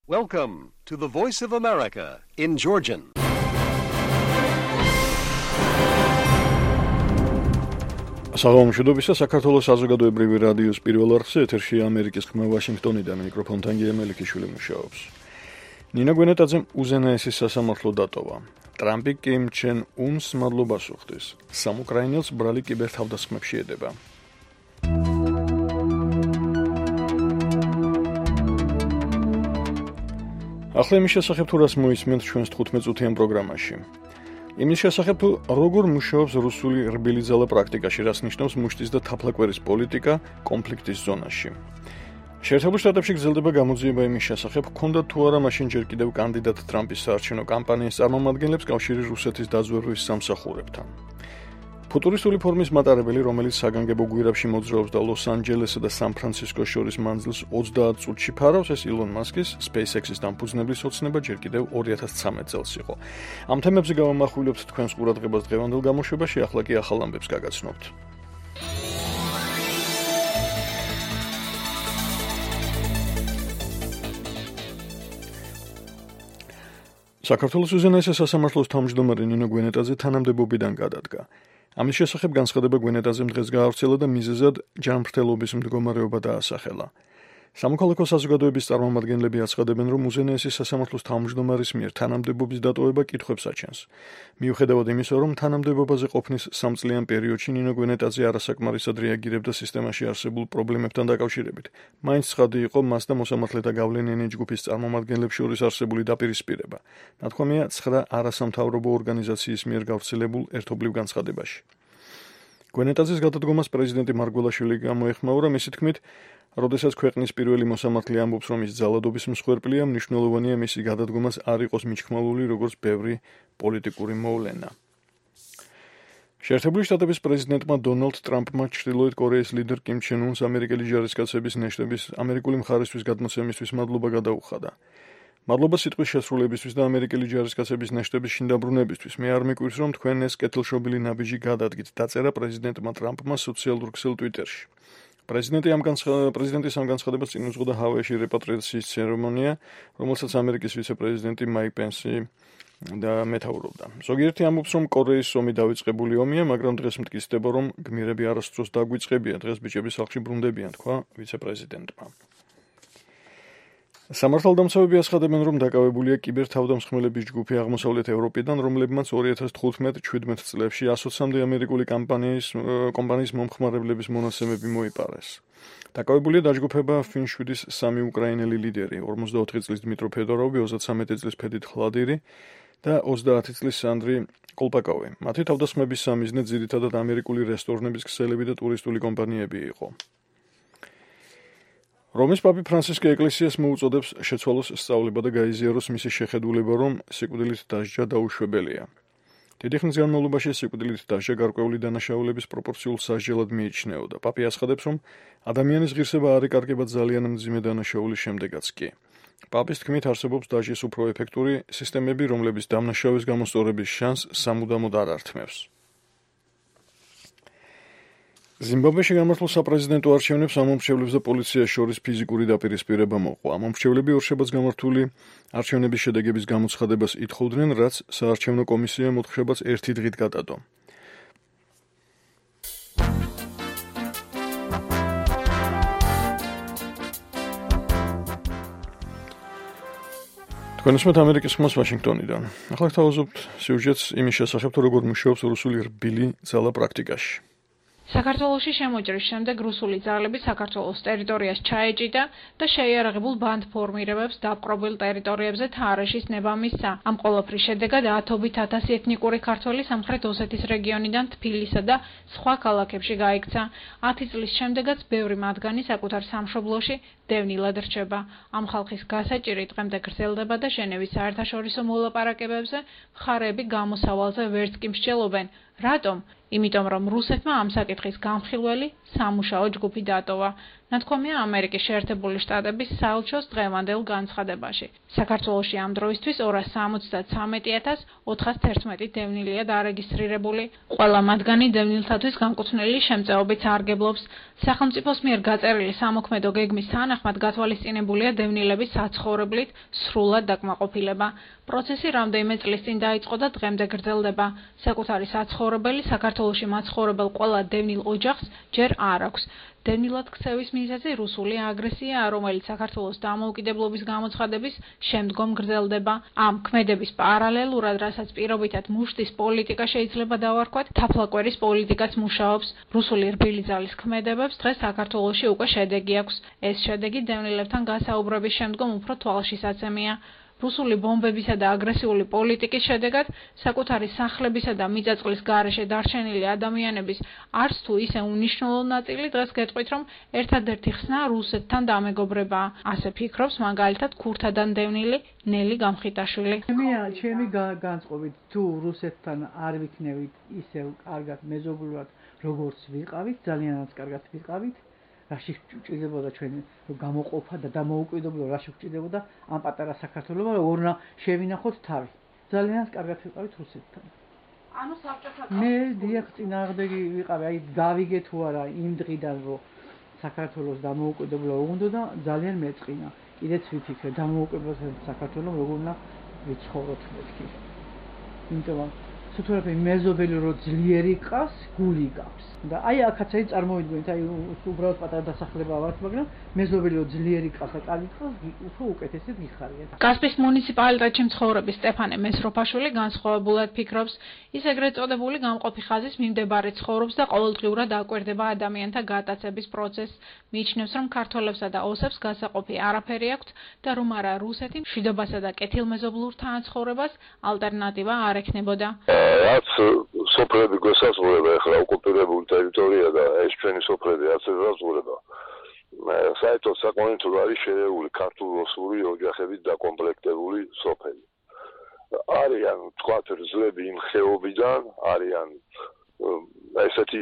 Welcome to the Voice of America in Georgian. საღამოშობისა საქართველოს საზოგადოებრივი რადიოს პირველ არხზე ეთერში ამერიკის ხმა ვაშინგტონიდან მიკროფონთან გიემელიქიშვილი მუშაობს. ნინა გვენეტაძემ უზენაესი სასამართლო დატოვა. ტრამპი კიმ ჩენ უნს მადლობას უხდის. სამ უკრაინელს ბრალი კიბერთავდასხმებში ედება. ახლა იმის შესახებ თუ რას მოისმენთ ჩვენს 15 წუთიან პროგრამაში. იმის შესახებ თუ როგორ მუშაობს რუსული რბილი ძალა პრაქტიკაში, რას ნიშნავს მუშტის და თაფლაკვერის პოლიტიკა კონფლიქტის ზონაში. შეერთებულ შტატებში გრძელდება გამოძიება იმის შესახებ, ჰქონდა თუ არა მაშინ ჯერ კიდევ კანდიდატ ტრამპის საარჩევნო კამპანიის წარმომადგენლებს კავშირი რუსეთის დაზვერვის სამსახურებთან. ფუტურისტული ფორმის მატარებელი, რომელიც საგანგებო გვირაბში მოძრაობს და ლოს-ანჯელესსა და სან-ფრანცისკოს შორის მანძილს 30 წუთში ფარავს, ეს ილონ მასკის SpaceX-ის დამფუძნებლის ოცნება ჯერ კიდევ 2013 წელს იყო. ამ თემებზე გავამახვილებთ თქვენს ყურადღებას დღევანდელ გამოშვებაში, ახლა კი ახალ ამბებს გაგაცნობთ. საქართველოს უზენაესი სასამართლოს თავმჯდომარე ნინო გვენეტაძე თანამდებობიდან გადადგა. ამის შესახებ განცხადება გვენეტაძემ დღეს გაავრცელა და მიზეზად ჯანმრთელობის მდგომარეობა დაასახელა. სამოქალაქო საზოგადოების წარმომადგენლები აცხადებენ, რომ უზენაესი სასამართლოს თავმჯდომარის მიერ თანამდებობის დატოვება კითხვებს აჩენს. მიუხედავად იმისა, რომ თანამდებობაზე ყოფნის 3 წლიან პერიოდში ნინო გვენეტაძე არასაკმარისად რეაგირებდა სისტემაში არსებულ პრობლემებთან დაკავშირებით, მაინც ცხადი იყო მას და მოსამართლეთა გავლენიანი ჯგუფის წარმომადგენლებს შორის არსებული დაპირისპირება. ნათქვამია 9 არასამთავრობო ორგანიზაციის მიერ გავრცელებულ ერთობლივ განცხადებაში. გვენეტაძის გადადგომას პრეზიდენტი მარგველაშვილი გამოეხმაურა, მისი თქმით, როდესაც ქვეყნის პირველი მოსამართლე ამბობს, რომ ის ძალადობის მსხვერპლია, მნიშვნელოვანია მისი გადადგომას არ იყოს მიჩქმალული როგორც ბევრი პოლიტიკური მოვლენა. შეერთებული შტატების პრეზიდენტმა დონალდ ტრამპმა ჩრდილოეთ კორეის ლიდერ კიმ ჩენ უნს ამერიკელი ჯარისკაცების ნეშტების ამერიკული მხარისთვის გადმოცემისთვის მადლობა გადაუხადა. მადლობა სიტყვის შესრულებისთვის და ამერიკელი ჯარისკაცების ნეშტების შინდაბრუნებისთვის. მე არ მიკვირს, რომ თქვენ ეს კეთილშობილი ნაბიჯი გადადგით, დაწერა პრეზიდენტმა ტრამპმა სოციალურ ქსელ ტვიტერში. პრეზიდენტის ამ განცხადებას წინ უძღოდა ჰავაიში რეპატრიაციის ცერემონია, რომელსაც ამერიკის ვიცე-პრეზიდენტი მაიკ პენსი და მეთაურობდა. ზოგიერთი ამბობს, რომ კორეის ომი დავიწყებული ომია, მაგრამ დღეს მტკიცდება, რომ გმირები არასდროს დაგვიწყებია, დღეს ბიჭები სახლში ბრუნდებიან, თქვა ვიცე-პრეზიდენტმა. სამართალდამცავები აცხადებენ, რომ დაკავებულია კიბერთავდამსხმელების ჯგუფი აღმოსავლეთ ევროპიდან, რომლებმაც 2015-17 წლებში 120-მდე ამერიკული კომპანიის მომხმარებლების მონაცემები მოიპარეს. დაკავებულია დაჯგუფება Fin7-ის 3 უკრაინელი ლიდერი, 44 წლის დმიტრო ფედოროვი, 33 წლის ფედით ხლადირი და 30 წლის სანდრი კოლპაკოვი. მათი თავდასხმების სამიზნე ძირითადად ამერიკული რესტორნების ქსელები და ტურისტული კომპანიები იყო. რომის პაპი ფრანცისკე ეკლესიას მოუწოდებს შეცვალოს სწავლება და გაიზიაროს მისი შეხედულება, რომ სიკვდილით დასჯა დაუშვებელია. დიდი ხნის განმავლობაში სიკვდილით დასჯა გარკვეული დანაშაულების პროპორციულ სასჯელად მიიჩნეოდა. პაპი აცხადებს, რომ ადამიანის ღირსება არ იკარგება ძალიან მძიმე დანაშაულის შემდეგაც კი. პაპის თქმით, არსებობს დასჯის უფრო ეფექტური სისტემები, რომლების დამნაშავეს გამოსწორების შანსს სამუდამოდ არ ართმევს. ზიმბაბვეში გამართულ საპრეზიდენტო არჩევნებს ამომრჩევლებს და პოლიციას შორის ფიზიკური დაპირისპირება მოყვა. ამომრჩევლები ორშაბათს გამართული არჩევნების შედეგების გამოცხადებას ითხოვდნენ, რაც საარჩევნო კომისიამ მოთხშებაც 1 დღით გადადო. თქვენ უსმენთ ამერიკის ხმას ვაშინგტონიდან. ახლა გთავაზობთ სიუჟეტს იმის შესახებ, თუ როგორ მუშაობს რუსული რბილი ძალა პრაქტიკაში. საქართველოში შემოჭრის შემდეგ რუსული ძალები საქართველოს ტერიტორიას ჩაეჭიდა და შეიარაღებულ ბანდ ფორმირებებს დაპყრობილ ტერიტორიებზე თარეშის ნება მისცა. ამ ყველაფრის შედეგად ათობით ათასი ეთნიკური ქართველი სამხრეთ ოსეთის რეგიონიდან თბილისსა და სხვა ქალაქებში გაიქცა. 10 წლის შემდეგაც ბევრი მათგანი საკუთარ სამშობლოში დევნილად რჩება. ამ ხალხის გასაჭირი დღემდე გრძელდება და ჟენევის საერთაშორისო მოლაპარაკებებზე მხარეები გამოსავალზე ვერც კი მსჯელობენ. რატომ? იმიტომ რომ რუსეთმა ამ საკითხის გამხილველი სამუშაო ჯგუფი დატოვა. ნათქვამია ამერიკის შეერთებული შტატების საელჩოს დღევანდელ განცხადებაში. საქართველოში ამ დროისთვის 273,411 დევნილია დარეგისტრირებული. ყველა მათგანი დევნილთათვის განკუთვნილი შემწეობით სარგებლობს. სახელმწიფოს მიერ გაწერილი სამოქმედო გეგმის თანახმად გათვალისწინებულია დევნილების საცხოვრებლით სრულად დაკმაყოფილება. პროცესი რამდენიმე წლის წინ დაიწყო და დღემდე გრძელდება. საკუთარი საცხოვრებელი საქართველოში მაცხოვრებელ ყველა დევნილ ოჯახს ჯერ არ აქვს. დევნილად ქცევის მიზეზი რუსული აგრესია, რომელიც საქართველოს დამოუკიდებლობის გამოცხადების შემდგომ გრძელდება. ამ ქმედების პარალელურად, რასაც პირობითად მუშტის პოლიტიკა შეიძლება დავარქვათ, თაფლაკვერის პოლიტიკაც მუშაობს. რუსული რბილი ძალის ქმედებებს დღეს საქართველოში უკვე შედეგი აქვს. ეს შედეგი დევნილებთან გასაუბრების შემდგომ უფრო თვალშისაცემია. რუსული ბომბებისა და აგრესიული პოლიტიკის შედეგად საკუთარი სახლებისა და მიწაწყლის გარეშე დარჩენილი ადამიანების არც თუ ისე უნიშნულო ნაწილი დღეს გეტყვით, რომ ერთადერთი ხსნა რუსეთთან დამეგობრებაა. ასე ფიქრობს მაგალითად ქურთადან დევნილი ნელი გამხიტაშვილი. ჩემი განწყობით, თუ რუსეთთან არ ვიქნევით ისევ კარგად მეზობლურად, როგორც ვიყავით, ძალიანაც კარგად ვიყავით, რაში გვჭირდებოდა ჩვენი გამოყოფა და დამოუკიდებლობა, რაში გვჭირდებოდა ამ პატარა საქართველოს, როგორ უნდა შევინახოთ თავი. ძალიანაც კარგად ვიყავით რუსეთთან. ანუ საბჭოთა მე დიახ წინააღმდეგი ვიყავი, აი გავიგე თუ არა იმ დღიდან, რომ საქართველოს დამოუკიდებლობა უნდა და ძალიან მეწყინა. კიდეც ვიფიქრე დამოუკიდებლობის საქართველოს როგორ უნდა ვიცხოვროთ მეთქი. იმიტომ სუთურაფე მეზობელი რო ძლიერი ყავს, გული გავს. და აი აქაც აი წარმოვიდგინეთ, აი უბრალოდ პატარა დასახლება ვართ, მაგრამ მეზობელი რო ძლიერი ყავს და კარგი ყავს, უფრო უკეთესად გიხარიათ. კასპის მუნიციპალიტეტში მცხოვრები სტეფანე მესროფაშვილი განსხვავებულად ფიქრობს. ის ეგრეთ წოდებული გამყოფი ხაზის მიმდებარე ცხოვრობს და ყოველდღიურად აკვირდება ადამიანთა გატაცების პროცესს. მიიჩნევს, რომ ქართველებსა და ოსებს გასაყოფი არაფერი აქვთ და რომ არა რუსეთი მშვიდობასა და კეთილმეზობლურ თანაცხოვრებას ალტერნატივა არ ექნებოდა. რაც სოფლები გვესაზღვრება, ახლა ოკუპირებული ტერიტორია და ეს ჩვენი სოფლები რაც ესაზღვრება. საერთოდ საკმაოდ არის შერეული ქართულ-რუსული ოჯახებით დაკომპლექტებული სოფელი. არიან თქვათ რძლები იმ ხეობიდან, არიან ესეთი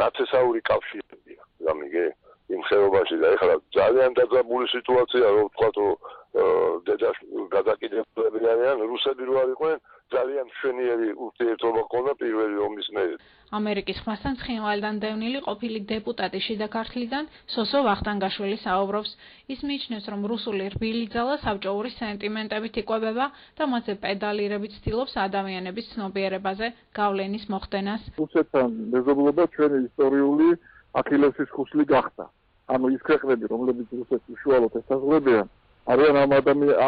ნათესაური კავშირებია, გამიგე იმ ხეობაში და ახლა ძალიან დაძაბული სიტუაცია, რომ თქვათ დედა გადაკიდებლები არიან, რუსები რო არ იყვნენ, ძალიან მშვენიერი ურთიერთობა ჰქონდა პირველი ომის მერე. ამერიკის ხმასთან ცხინვალიდან დევნილი ყოფილი დეპუტატი შიდა ქართლიდან სოსო ვახტანგაშვილი საუბრობს. ის მიიჩნევს, რომ რუსული რბილი ძალა საბჭოური სენტიმენტებით იკვებება და მათზე პედალირებით ცდილობს ადამიანების ცნობიერებაზე გავლენის მოხდენას. რუსეთთან მეზობლობა ჩვენი ისტორიული ახილესის ხუსლი გახდა. ანუ ის ქვეყნები, რომლებიც რუსეთს უშუალოდ ესაზღვრებიან, არიან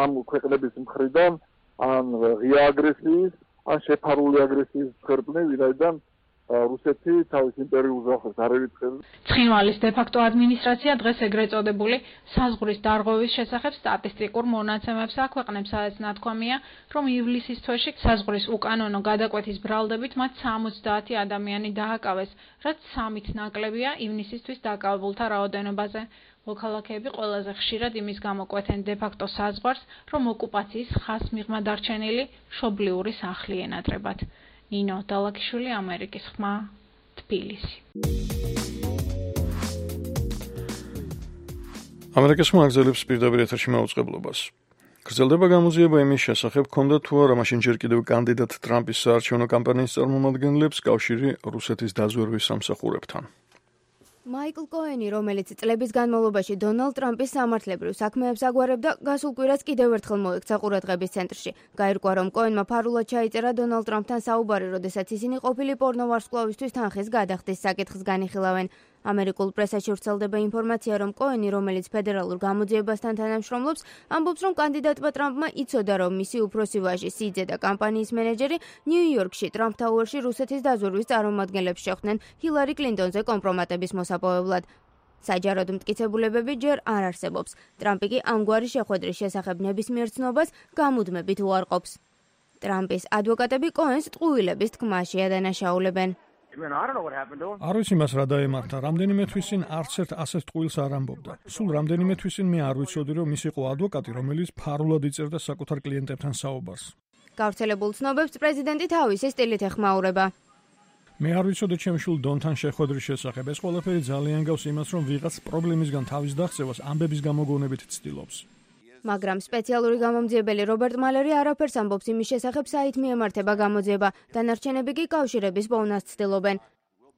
ამ ქვეყნების მხრიდან ან ღია აგრესიის, ან შეფარული აგრესიის მსხვერპლი, ვინაიდან რუსეთი თავის იმპერიულ ზღვას არ ერიცხებს. ცხინვალის დე-ფაქტო ადმინისტრაცია დღეს ეგრეთ წოდებული საზღვრის დარღვევის შესახებ სტატისტიკურ მონაცემებს აქვეყნებს, სადაც ნათქვამია, რომ ივლისის თვეში საზღვრის უკანონო გადაკვეთის ბრალდებით მათ 70 ადამიანი დააკავეს, რაც 3-ით ნაკლებია ივნისისთვის დაკავებულთა რაოდენობაზე. მოქალაქეები ყველაზე ხშირად იმის გამოკვეთენ დე-ფაქტო საზღვარს, რომ ოკუპაციის ხაზს მიღმა დარჩენილი მშობლიური სახლი ენატრებათ. ნინო დალაკიშვილი, ამერიკის ხმა, თბილისი. ამერიკის ხმა აგზელებს პირდაპირ ეთერში მაუწყებლობას. გრძელდება გამოძიება იმის შესახებ, ქონდა თუ არა მაშინ ჯერ კიდევ კანდიდატ ტრამპის საარჩევნო კამპანიის წარმომადგენლებს კავშირი რუსეთის დაზვერვის სამსახურებთან. მაიკლ კოენი, რომელიც წლების განმავლობაში დონალდ ტრამპის სამართლებრივ საქმეებს აგვარებდა, გასულ კვირას კიდევ ერთხელ მოექცა ყურადღების ცენტრში. გაირკვა, რომ კოენმა ფარულად ჩაიწერა დონალდ ტრამპთან საუბარი, როდესაც ისინი ყოფილი პორნოვარსკვლავისთვის თანხის გადახდის საკითხს განიხილავენ. ამერიკულ პრესაში ვრცელდება ინფორმაცია, რომ კოენი, რომელიც ფედერალურ გამოძიებასთან თანამშრომლობს, ამბობს, რომ კანდიდატმა ტრამპმა იცოდა, რომ მისი უფროსი ვაჟი სიძე და კამპანიის მენეჯერი ნიუ-იორკში ტრამპ თაუერში რუსეთის დაზვერვის წარმომადგენლებს შეხვდნენ ჰილარი კლინტონზე კომპრომატების მოსაპოვებლად. საჯაროდ მტკიცებულებები ჯერ არ არსებობს. ტრამპი კი ამგვარი შეხვედრის შესახებ ნებისმიერ ცნობას გამუდმებით უარყოფს. ტრამპის ადვოკატები კოენს ტყუილების თქმაში ადანაშაულებენ. არ ვიცი მას რა დაემართა, რამდენიმე თვის წინ არც ერთ ასეთ ტყუილს არ ამბობდა. სულ რამდენიმე თვის წინ მე არ ვიცოდი, რომ ის იყო ადვოკატი, რომელიც ფარულად იწერდა საკუთარ კლიენტებთან საუბარს. გავრცელებულ ცნობებს პრეზიდენტი თავისი სტილით ეხმაურება. მე არ ვიცოდი ჩემ შვილ დონთან შეხვედრის შესახებ. ეს ყველაფერი ძალიან გავს იმას, რომ ვიღაც პრობლემისგან თავის დაღწევას ამბების გამოგონებით ცდილობს. მაგრამ სპეციალური გამომძიებელი რობერტ მალერი არაფერს ამბობს იმის შესახებ, საით მიემართება გამოძიება, დანარჩენები კი კავშირების პოვნას ცდილობენ.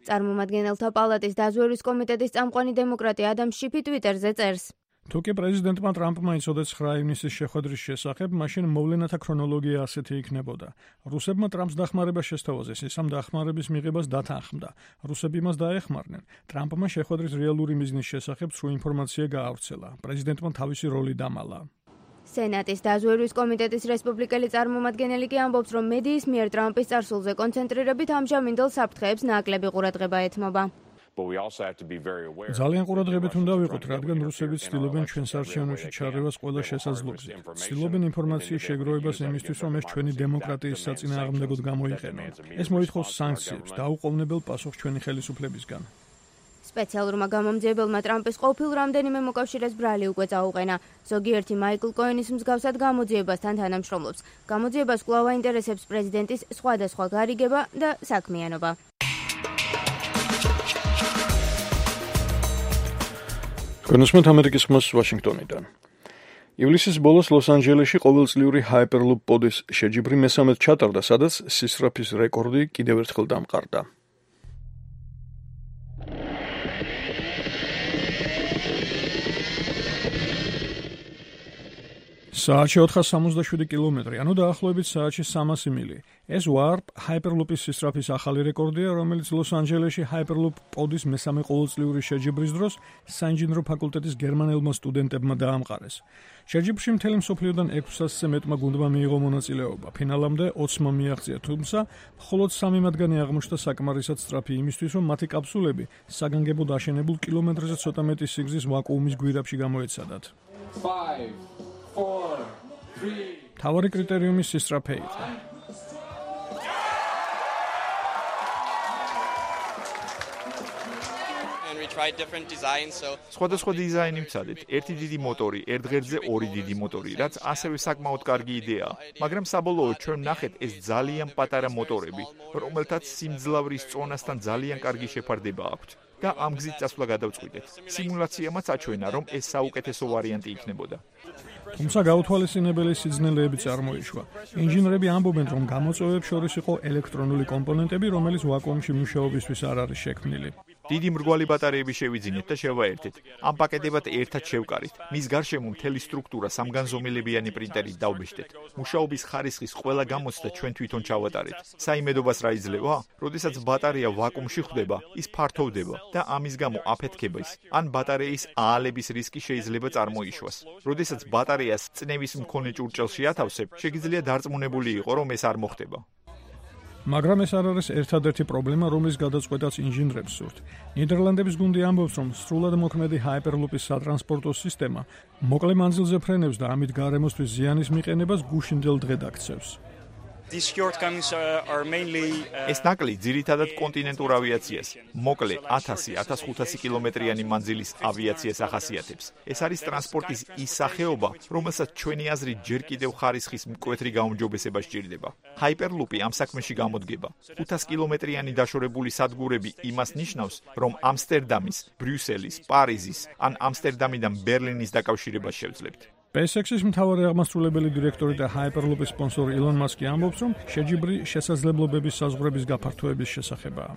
წარმომადგენელთა პალატის დაზვერვის კომიტეტის წამყვანი დემოკრატი ადამ შიფი ტვიტერზე წერს. თუ კი პრეზიდენტმა ტრამპმა იცოდა 9 ივნისის შეხვედრის შესახებ, მაშინ მოვლენათა ქრონოლოგია ასეთი იქნებოდა. რუსებმა ტრამპს დახმარება შესთავაზეს, ის ამ დახმარების მიღებას დათანხმდა. რუსები მას დაეხმარნენ. ტრამპმა შეხვედრის რეალური მიზნის შესახებ სრულ ინფორმაცია გაავრცელა. პრეზიდენტმა თავისი როლი დამალა. სენატის დაზვერვის კომიტეტის რესპუბლიკელი წარმომადგენელი კი ამბობს, რომ მედიის მიერ ტრამპის წარსულზე კონცენტრირებით ამჟამინდელ საფრთხეებს ნაკლები ყურადღება ეთმობა. ძალიან ყურადღებით უნდა ვიყოთ, რადგან რუსები ცდილობენ ჩვენს არჩევნებში ჩარევას ყველა შესაძლებლობით. ცდილობენ ინფორმაციის შეგროვებას იმისთვის, რომ ეს ჩვენი დემოკრატიის საწინააღმდეგოდ გამოიყენონ. ეს მოითხოვს სანქციებს და უყოვნებელ პასუხს ჩვენი ხელისუფლებისგან. სპეციალურმა გამომძიებელმა ტრამპის ყოფილ რამდენიმე მოკავშირეს ბრალი უკვე წაუყენა. ზოგიერთი მაიკლ კოენის მსგავსად გამოძიებასთან თანამშრომლობს. გამოძიებას კვლავ აინტერესებს პრეზიდენტის სხვადასხვა გარიგება და საქმიანობა. კონსუმენტ ამერიკის ხმას ვაშინგტონიდან. ივლისის ბოლოს ლოს-ანჯელესში ყოველწლიური Hyperloop პოდის შეჯიბრი მესამედ ჩატარდა, სადაც სისწრაფის რეკორდი კიდევ ერთხელ დამყარდა. საათში 467 კილომეტრი, ანუ დაახლოებით საათში 300 მილი. ეს Warp Hyperloop-ის სისწრაფის ახალი რეკორდია, რომელიც ლოს-ანჯელესში Hyperloop პოდის მესამე ყოველწლიური შეჯიბრის დროს საინჟინრო ფაკულტეტის გერმანელმა სტუდენტებმა დაამყარეს. შეჯიბრში მთელი მსოფლიოდან 600-ზე მეტმა გუნდმა მიიღო მონაწილეობა. ფინალამდე 20-მა მიაღწია, თუმცა მხოლოდ 3 მათგანი აღმოჩნდა საკმარისად სწრაფი იმისთვის, რომ მათი კაფსულები საგანგებოდ აშენებულ კილომეტრზე ცოტა მეტი სიგრძის ვაკუუმის გვირაბში გამოეცადათ. 5 4 3 თავარი კრიტერიუმი სისწრაფე იყო. სხვადასხვა დიზაინი ვცადეთ. ერთი დიდი მოტორი, ერთ ღერძზე 2 დიდი მოტორი, რაც ასევე საკმაოდ კარგი იდეაა. მაგრამ საბოლოოდ ჩვენ ვნახეთ ეს ძალიან პატარა მოტორები, რომელთაც სიმძლავრის წონასთან ძალიან კარგი შეფარდება აქვთ. და ამ გზით წასვლა გადავწყვიტეთ. სიმულაციამაც აჩვენა, რომ ეს საუკეთესო ვარიანტი იქნებოდა. თუმცა გაუთვალისწინებელი სიძნელეები წარმოიშვა. ინჟინრები ამბობენ, რომ გამოწვევებს შორის იყო ელექტრონული კომპონენტები, რომელიც ვაკუუმში მუშაობისთვის არ არის შექმნილი. დიდი მრგვალი ბატარეები შევიძინეთ და შევაერთეთ. ამ პაკეტებად ერთად შევკარით. მის გარშემო მთელი სტრუქტურა სამგანზომილებიანი პრინტერით დავბეჭდეთ. მუშაობის ხარისხის ყველა გამოცდა ჩვენ თვითონ ჩავატარეთ. საიმედობას რა იძლევა? როდესაც ბატარეა ვაკუუმში ხვდება, ის ფართოვდება და ამის გამო აფეთქების ან ბატარეის აალების რისკი შეიძლება წარმოიშვას. როდესაც ბატარეას წნევის მქონე ჭურჭელში ათავსებ, შეგიძლია დარწმუნებული იყო, რომ ეს არ მოხდება. მაგრამ ეს არ არის ერთადერთი პრობლემა, რომლის გადაწყვეტაც ინჟინრებს სურთ. ნიდერლანდების გუნდი ამბობს, რომ სრულად მოქმედი Hyperloop-ის სატრანსპორტო სისტემა მოკლე მანძილზე ფრენებს და ამით გარემოსთვის ზიანის მიყენებას გუშინდელ დღედ აქცევს. ეს ნაკლი ძირითადად კონტინენტურ ავიაციას, მოკლე 1000-1500 კილომეტრიანი მანძილის ავიაციას ახასიათებს. ეს არის ტრანსპორტის ის სახეობა, რომელსაც ჩვენი აზრით ჯერ კიდევ ხარისხის მკვეთრი გაუმჯობესება სჭირდება. Hyperloop-ი ამ საქმეში გამოდგება. 500 კილომეტრიანი დაშორებული სადგურები იმას ნიშნავს, რომ ამსტერდამის, ბრიუსელის, პარიზის ან ამსტერდამიდან ბერლინის დაკავშირებას შევძლებთ. SpaceX-ის მთავარი აღმასრულებელი დირექტორი და Hyperloop-ის სპონსორი ილონ მასკი ამბობს, რომ შეჯიბრი შესაძლებლობების საზღვრების გაფართოების შესახებაა.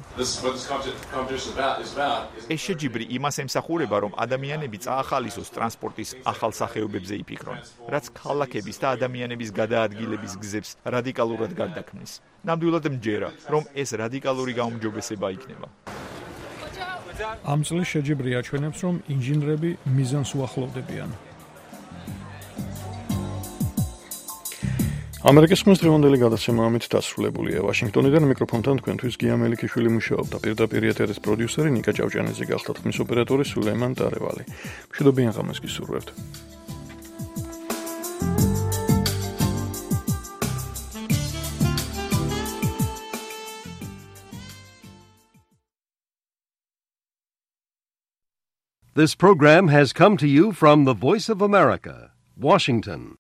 ეს შეჯიბრი იმას ემსახურება, რომ ადამიანები წაახალისოს ტრანსპორტის ახალ სახეობებზე იფიქრონ, რაც ქალაქების და ადამიანების გადაადგილების გზებს რადიკალურად გარდაქმნის. ნამდვილად მჯერა, რომ ეს რადიკალური გაუმჯობესება იქნება. ამ წლის შეჯიბრი აჩვენებს, რომ ინჟინრები მიზანს უახლოვდებიან. ამერიკის ხმის დღევანდელი გადაცემა ამით დასრულებულია. ვაშინგტონიდან მიკროფონთან თქვენთვის გია მელიქიშვილი მუშაობდა. პირდაპირ ეთერის პროდიუსერი ნიკა ჭავჭანიძე გახდა, ხმის ოპერატორი სულეიმან ტარევალი. მშვიდობიან ღამეს გისურვებთ. This program has come to you from the Voice of America, Washington.